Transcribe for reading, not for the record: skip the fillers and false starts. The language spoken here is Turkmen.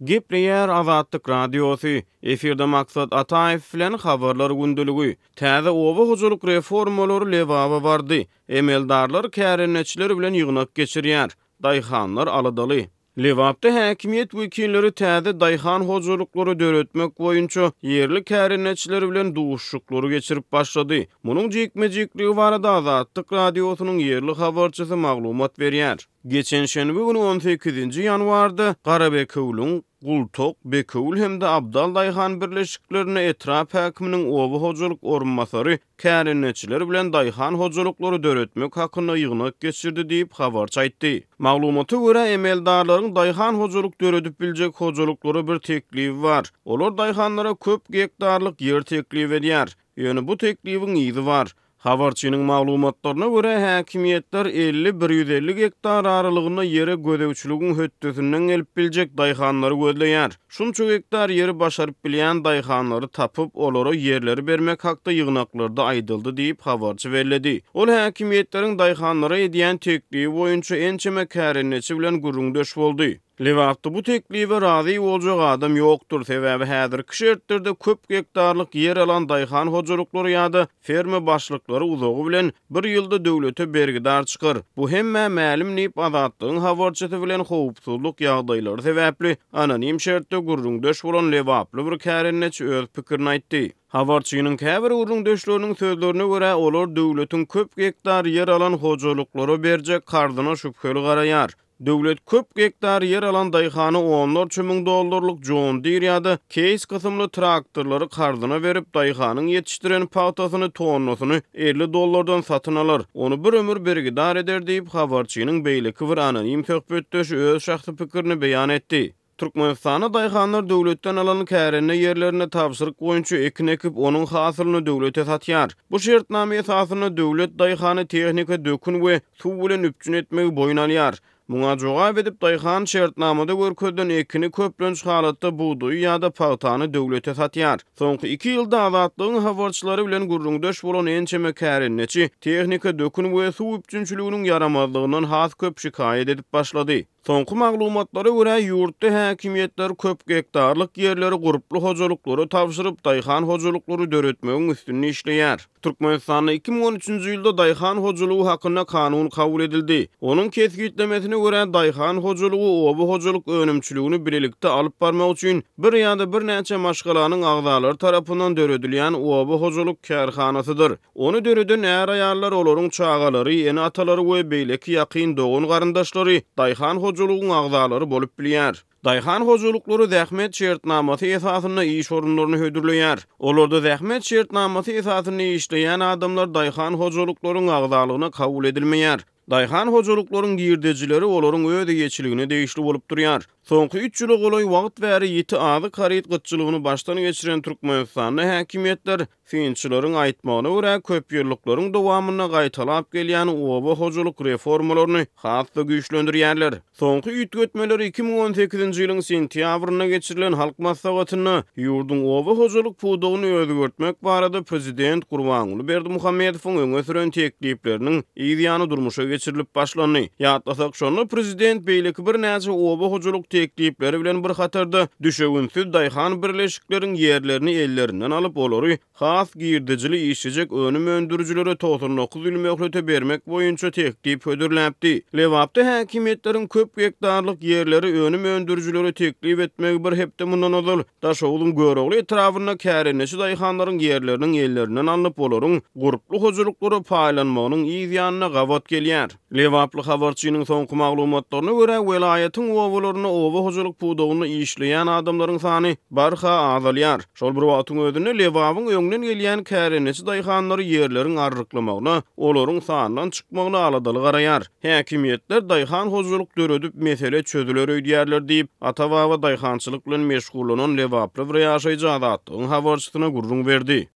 Gepleýär Azatlyk Radiosy, Efirde Maksat Ataýew bilen Habarlar gündeligi. Täze oba hojalyk reformalary Lebaba bardy. Emeldarlar kärendeçiler bilen ýygnak geçirýär. Daýhanlar aladaly. Lebapda häkimiýet wekilleri täze daýhan hojalyklary döretmek boýunça ýerli kärendeçiler bilen duşuşyklary geçirip başlady. Munuň jikme-jikligi barada Azatlyk Radiosynyň ýerli habarçysy maglumat berýär. Geçen şenbe güni on sekizinji ýanwarda Garabekewüliň Gultok, Bekewül hem-de Abdal daýhan birleşiklerinde etrap häkiminiň oba hojalyk orunbasary kärendeçiler bilen daýhan hojalyklary döretmek hakynda ýygnak geçirdi diýip, habarçy aýtdy. Maglumata görä, emeldarlaryň daýhan hojalyk döredip biljek hojalyklara bir teklibi bar. Olar daýhanlara köp gektarlyk ýer teklip edýär. Ýöne bu teklibiň yzy bar. Habarçynyň maglumatlaryna görä, häkimiýetler 50, 150 gektar aralygynda ýere gözegçiligiň hötdesinden gelip biljek daýhanlary gözleýär. Şunça gektar ýeri başaryp bilýän daýhanlary tapyp, olara ýerleri bermek hakda ýygnaklarda aýdyldy diýip, habarçy belledi. Ol häkimiýetleriň daýhanlara edýän teklibi boýunça ençeme kärendeçi bilen gürrüňdeş boldy. Lebapda bu teklibe razy boljak adam ýokdur, sebäbi häzirki şertlerde köp gektarlyk ýer alan daýhan hojalyklary ýa-da ferma başlyklary uzagy bilen bir ýylda döwlete bergidar çykar. Bu hemmä mälim diýip, Azatlygyň habarçysy bilen howpsuzlyk ýagdaýlary sebäpli anonim şertde gürrüňdeş bolan lebaply bir kärendeçi öz pikirini aýtdy. Habarçynyň käbir gürrüňdeşleriniň sözlerine görä, olar döwletiň köp gektar ýer alan hojalyklara berjek karzyna şübheli garaýar. Döwlet köp gektar ýer alan daýhana onlarça müň dollarlyk John Deere ýa-da Case kysymly traktorlary karzyna berip, daýhanyň ýetişdiren pagtasyny tonnasyny 50 dollardan satyn alar, ony bir ömür bergidar eder diýip, habarçynyň beýleki bir anonim söhbetdeşi öz şahsy pikirini beýan etdi. Türkmenistanda daýhanlar döwletden alan kärende ýerlerinde tabşyryk boýunça ekin ekip, onuň hasylyny döwlete satýar. Bu şertnama esasynda döwlet daýhany tehnika, dökün we suw bilen üpjün etmegi boýun alýar. Muňa jogap edip, daýhan şertnamada görkezilen ekini köplenç halatda bugdaýy ýa-da pagtany döwlete satýar. Soňky iki ýylda Azatlygyň habarçylary bilen gürrüňdeş bolan ençeme kärendeçi tehnika, dökün we suw üpjünçiliginiň ýaramazlygyndan has köp şikaýat edip başlady. Soňky maglumatlara görä, ýurtda häkimiýetler köp gektarlyk ýerleri gurply hojalyklara tabşyryp, daýhan hojalyklary döretmegiň üstünde işleýär. Türkmenistanda 2013-nji ýylda Daýhan hojalygy hakynda kanun kabul edildi. Onuň kesgitlemesine görä, daýhan hojalygy oba hojalyk önümçiligini bilelikde alyp barmak üçin bir ýa-da birnäçe maşgalanyň agzalary tarapyndan döredilýän oba hojalyk kärhanasydyr. Ony döreden är-aýallar, olaryň çagalary, ene-atalary we beýleki ýakyn dogan-garyndaşlary daýhan hojalygyň agzalary bolup bilýär. Daýhan hojalyklary zähmet şertnamasy esasynda iş orunlaryny hödürleýär. Olarda zähmet şertnamasy esasynda işleýän adamlar daýhan hojalyklaryň agzalygyna kabul edilmeýär. Daýhan hojalyklaryň girdejileri olaryň öz eýeçiligine degişli bolup durýar. Soňky üç ýyla golaý wagt bäri ýiti azyk haryt gytçylygyny başdan geçiren Türkmenistanda häkimiýetler, synçylaryň aýtmagyna görä, köpýyllyklaryň dowamynda gaýtalap gelýän oba hojalyk reformalaryny has-da güýçlendirýärler. Soňky üýtgetmeler 2018-nji ýylyň sentýabrynda geçirilen Halk Maslahatynda ýurduň oba hojalyk pudagyny özgertmek barada prezident Gurbanguly Berdimuhamedowyň öňe süren teklipleriniň yz ýany durmuşa geçirilip başlandy. Ýatlasak, şonda prezident beýleki birnäçe oba hojalyk teklipleri bilen bir hatarda düşewüntsiz daýhan birleşikleriň ýerlerini ellerinden alyp, olary Has girdejili işlejek önüm öndürijilere 99 ýyl möhlete bermek boýunça teklip hödürläpdi. Lebapda häkimiýetleriň köp gektarlyk ýerleri önüm öndürijilere teklip etmegi bir hepde mundan ozal Daşogzuň Görogly etrabynda kärendeçi daýhanlaryň ýerleriniň ellerinden alnyp, olaryň gurply hojalyklara paýlanmagynyň yz ýanyna gabat gelýär. Lebaply habarçynyň soňky maglumatlaryna görä, welaýatyň obalarynda oba hojalyk pudagynda işleýän adamlaryň sany barha azalýar. Şol bir wagtyň özünde, Lebabyň öňden gelýän kärendeçi daýhanlary ýerleriň arryklamagyna, olaryň sandan çykmagyna aladaly garaýar. Häkimiýetler daýhan hojalyk döredip, mesele çözüler öýdýärler diýip, ata-baba daýhançylyk bilen meşgullanan lebaply bir ýaşaýjy Azatlygyň habarçysyna gürrüň berdi.